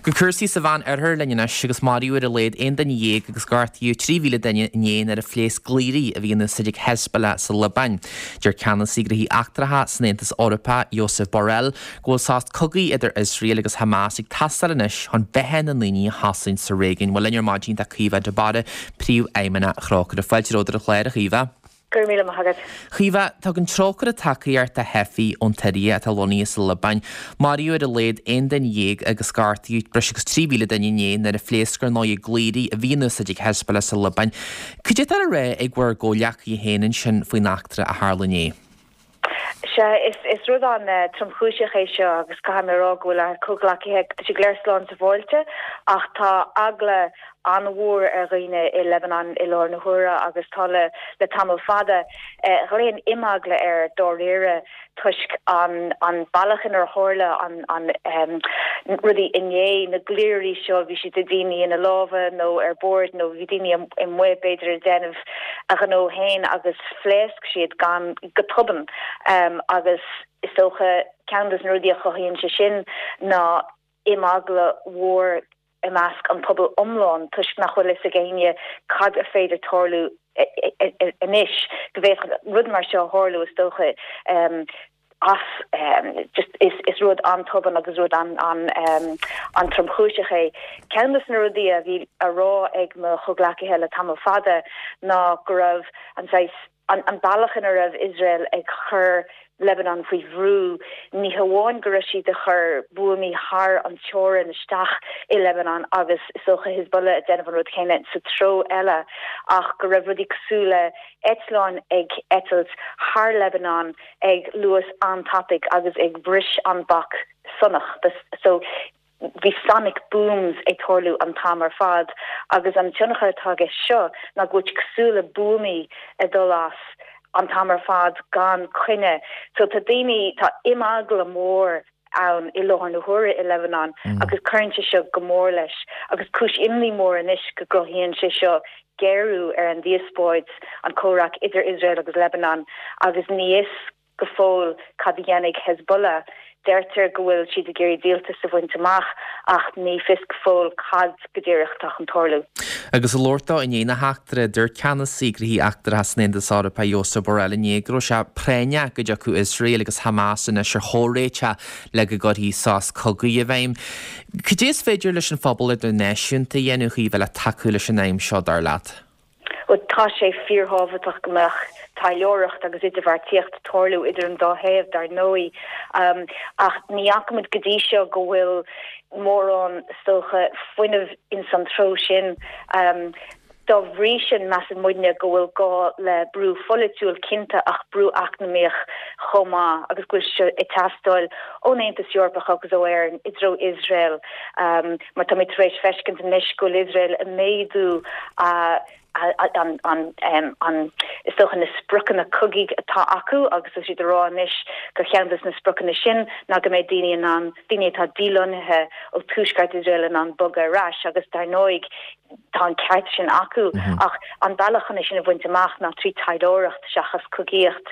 Go cúrsaí sa Mheán Oirthear linn anois agus maraíodh ar a laghad 11 duine agus gortaíodh 3,000 duine inné nuair a phléasc gliairí a bhí in úsáid ag Hezbollah sa Liobáin. Deir ceannasaí gnóthaí eachtracha san Aontas Eorpach, Josep Borrell, go bhfuil sos cogaidh idir Iosrael agus Hamas ag teastáil anois chun beatha na ndaoine a chosaint sa réigiún. Bhuel linn ar maidin tá Caoimhe de Barra, Príomhfheidhmeannach Thrócaire. Fáilte romhat ar an chlár, a Chaoimhe. Go raibh míle maith agat. Chaoimhe, tugann Trócaire tacaíocht do theifigh ón tSiria atá lonnaithe sa Liobáin. Maraíodh ar a laghad 11 duine agus gortaíodh breis agus 3,000 duine inné nuair a phléasc ar ndóigh gliairí a bhí in úsáid ag Hezbollah sa Liobáin. Cad é atá le rá ag bhur gcomhghleacaithe féin ansin faoin eachtra a tharla inné? Sea, is rud an-tromchúiseach é seo agus caithfidh mé a rá go bhfuil ár comhghleacaithe, tá siad go léir slán sábháilte ach tá eagla an-mhór ar dhaoine i Lebanon i láthair na huaire agus tá le le tamall fada. Ghlaofainn imeagla air dáiríre toisc an an bealach inar tharla an an rudaí inné, na gliairí seo, bhí siad ag daoine ina lámha nó ar bord nó bhí daoine amuigh b'fhéidir ag déanamh a ghnó féin agus phléasc siad gan go tobann agus is dócha ceann de na rudaí a chothaíonn sé sin ná imeagla mhór i measc an pobail iomlán toisc nach bhfuil fhios ag éinne cad a féidir tarlú anois, go bhféadfadh rud mar seo a tharlú is dócha as just is is rud an-tobann agus rud an-tromchúiseach é. Ceann de na rudaí a bhí á rá ag mo chomhghleacaithe le tamall fada ná go raibh an saghas an bealach ina raibh Iosrael ag cur Lebanon faoi bhrú, ní hamháin go raibh siad ag cur buamaí thar an teorainn isteach i Lebanon agus is dócha Hezbollah ag déanamh an rud céanna sa treo eile ach go raibh rudaí cosúil le eitleáin ag eitilt thar Lebanon ag luas an-tapaidh agus ag bris an bac sonach. So bhí sonic booms ag tarlú an t-am ar fad agus an tionchar atá aige seo ná go bhfuil sé cosúil le buamaí ag dul as an t-am ar fad gan coinne. So tá daoine, tá imeagla mór ann i láthair na huaire i Lebanon agus cuireann sé seo go mór leis agus cúis imní mór anois go gcruthaíonn sé seo géarú ar an díospóid, an comhrac idir Iosrael agus Lebanon agus ní fhios go fóill cad a dhéanfaidh Hezbollah. Deirtear go bhfuil siad ag iarraidh díoltas a bhaint amach ach ní fios go fóill cad go díreach atá chun tarlú. Agus ag labhairt dó i ndiaidh na heachtra, dúirt ceannasaí gnóthaí eachtracha san Aontas Eorpach Josep Borrell inné go raibh sé práinneach go dtiocfadh Iosrael agus Hamas anois ar chomhréiteach le go gcuirfí sos cogaidh i bhfeidhm. Cad é is féidir leis an phobal idirnáisiúnta a dhéanamh, a Chaoimhe, le tacú leis an aidhm seo, dar leat? Bhuel, tá sé fíorthábhachtach go mbeadh taidhleoireacht agus idirbheartaíocht ag tarlú idir an dá thaobh, dar ndóigh, ach ní fhaca muid go dtí seo go bhfuil mórán, is dócha, fuinnimh ins an treo sin. Dá bhrí sin, measann muidne go bhfuil gá le brú pholaitiúil, cinnte, ach brú eacnamaíoch chomh maith agus go bhfuil sé ag teastáil ón Aontas Eorpach agus ó Éirinn i dtreo Iosrael. Mar táimid tar éis feiscint anois go bhfuil Iosrael ag méadú a an is dócha na spriocanna cogaidh atá acu agus tá siad ag rá anois gur cheann de na spriocanna sin ná go mbeidh daoine in ann, daoine atá dílonnaithe ó tuaisceart Iosrael in ann bogadh ar ais agus dar ndóigh tá an ceart sin acu ach an bealach chun é sin a bhaint amach ná trí taidhleoireacht seachas cogaíocht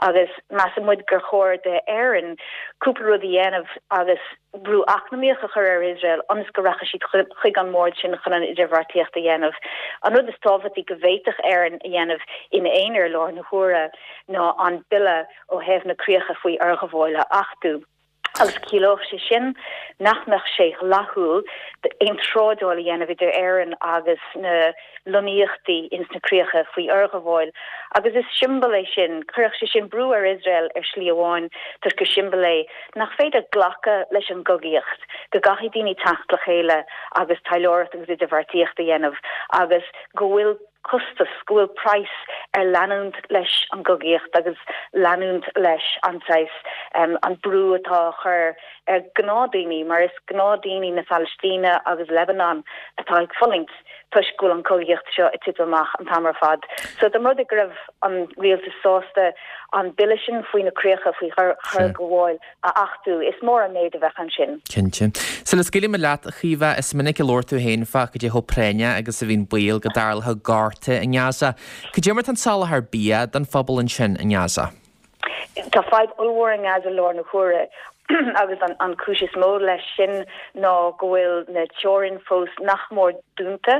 agus measann muid gur chóir d'Éirinn cúpla rud a dhéanamh agus brú eacnamaíoch a chur ar Iosrael ionas go rachaidh siad chuig an mbord sin chun an idirbheartaíocht a dhéanamh. An rud is tábhachtaí go bhféadfadh Éirinn a dhéanamh ina aonar i láthair na huaire ná an bille ó thaobh na críocha faoi fhorghabháil a achtú. Agus ciallódh sé sin nach mbeadh sé dleathúil aon trádáil a dhéanamh idir Éirinn agus na lonnaíochtaí ins na críocha faoi fhorghabháil. Agus is siombail é sin, chuirfeadh sé sin brú ar Iosrael ar shlí amháin toisc gur siombail é nach féidir glacadh leis an gcogaíocht, go gcaithfidh daoine teacht le chéile agus taidhleoireacht agus idirbheartaíocht a dhéanamh agus go bhfuil costas, go bhfuil praghas ar leanúint leis an gcogaíocht agus leanúint leis an saghas, an brú atá á chur ar ghnáthdhaoine, mar is gnáthdhaoine na Palaistíne agus Lebanon atá ag fulaingt. toisc go bhfuil an chogaíocht seo ag titim amach an t-am ar fad. So dá mba rud é go raibh an rialtas sásta an bille sin faoi na críocha faoi fhorghabháil a achtú, is mór an méid a bheadh ansin. Cinnte. Sula scaoilfidh mé leat, a Chaoimhe, is minic a labhair tú féin fá cad é chomh práinneach agus a bhíonn baol go dtarlódh gorta i nGaza. Cad é mar atá an soláthar bia don phobal ansin i nGaza? Tá fadhb ollmhór i nGaza i láthair na huaire. Agus an chúis is mó leis sin ná go bhfuil na teorainn fós nach mór dúnta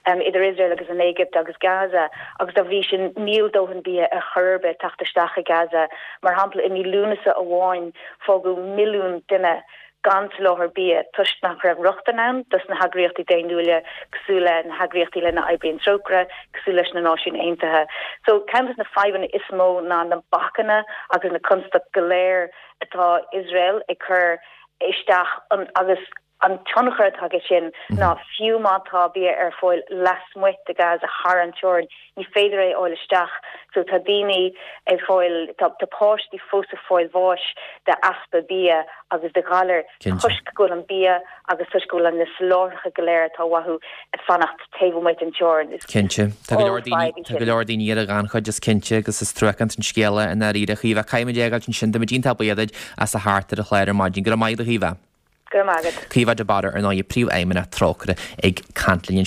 idir Iosrael agus an Éigipt agus Gaza agus dá bhrí sin níl dóthain bia ar chor ar bith ag teacht isteach i Gaza. Mar shampla, i mí Lúnasa amháin fágadh milliún duine gan soláthar bia toisc nach raibh rochtain ann dos na heagraíochtaí daonnúla cosúil le na heagraíochtaí lena oibríonn Trócaire, cosúil leis na Náisiúin Aontaithe. So ceann des na fadhbanna is mó ná na bacanna agus na constaicí go léir atá Iosrael ag cur isteach agus an tionchar atá aige sin ná fiú má tá bia ar fáil lasmuigh de Gaza thar an teorainn, ní féidir é a fháil isteach. So tá daoine ag fáil, tá páistí fós ag fáil bháis de easpa bia agus de ghalair toisc go bhfuil an bia agus toisc go bhfuil na soláthracha go léir atá uathu ag fanacht taobh amuigh den teorainn. Is Cinnte. Tá go leor daoine, tá go leor daoine ar an ghannchuid is cinnte agus is truacánta an scéal é i ndáiríre. A Chaoimhe, caithfidh muid é a fhágáilt ansin. Tá muid iontach buíoch duit as a theacht ar an chlár ar maidin. Go raibh maith agat a Chaoimhe. Go raibh maith agat. Caoimhe de Barra ar ndóigh, Príomhfheidhmeannach Trócaire ag caint linn.